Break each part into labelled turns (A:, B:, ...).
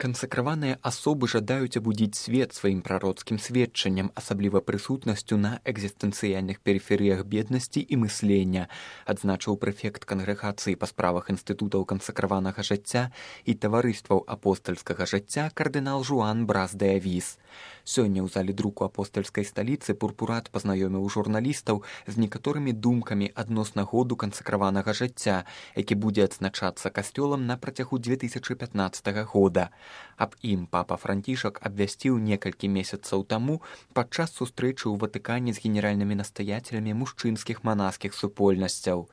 A: Кансакраваныя асобы жадаюць абудзіць свет сваім прароцкім сведчаннем, асабліва прысутнасцю на экзістэнцыяльных перыферыях беднасці і мыслення, адзначыў прэфект кангрэгацыі па справах інстытутаў кансакраванага жыцця і таварыстваў апостальскага жыцця кардынал Жуан Брас де Авіс. Сёння ў зале друку апостальскай сталіцы пурпурат пазнаёміў журналістаў з некаторымі думкамі адносна году кансакраванага жыцця, які будзе адзначацца касцёлам на працягу 2015 года. Аб ім папа Францішак абвясціў некалькі месяцаў таму падчас сустрэчы ў Ватыкане з генеральнымі настаяцелямі мужчынскіх манаскіх супольнасцяў.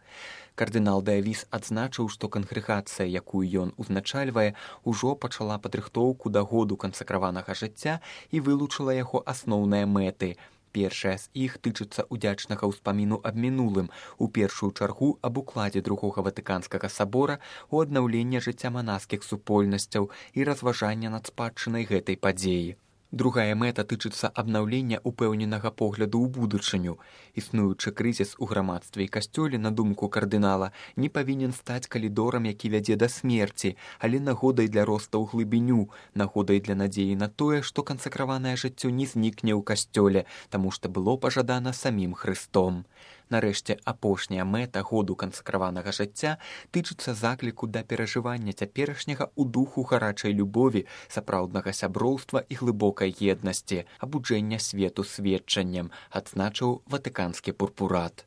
A: Кардынал де Авіс адзначыў, што кангрэгацыя, якую ён узначальвае, ужо пачала падрыхтоўку да году кансакраванага жыцця і вылучыла яго асноўныя мэты. Першая з іх тычыцца ўдзячнага ўспаміну аб мінулым, у першую чаргу аб укладзе другога ватыканскага сабора у аднаўленне жыцця манаскіх супольнасцяў і разважання над спадчынай гэтай падзеі. Другая мэта тычыцца абнаўлення упэўненага погляду ў будучыню. Існуючы крызіс у грамадстве і касцёле, на думку кардынала, не павінен стаць калідорам, які вядзе да смерці, але нагодай для роста ў глыбіню, нагодай для надзеі на тое, што кансакраванае жыццё не знікне ў касцёле, таму што было пажадана самім Хрыстом. Нарэшце, апошняя мэта году кансакраванага жыцця тычыцца закліку да перажывання цяперашняга ў духу гарачай любові, сапраўднага сяброўства і глыбокай еднасці, абуджэння свету сведчаннем, адзначыў ватыканскі пурпурат.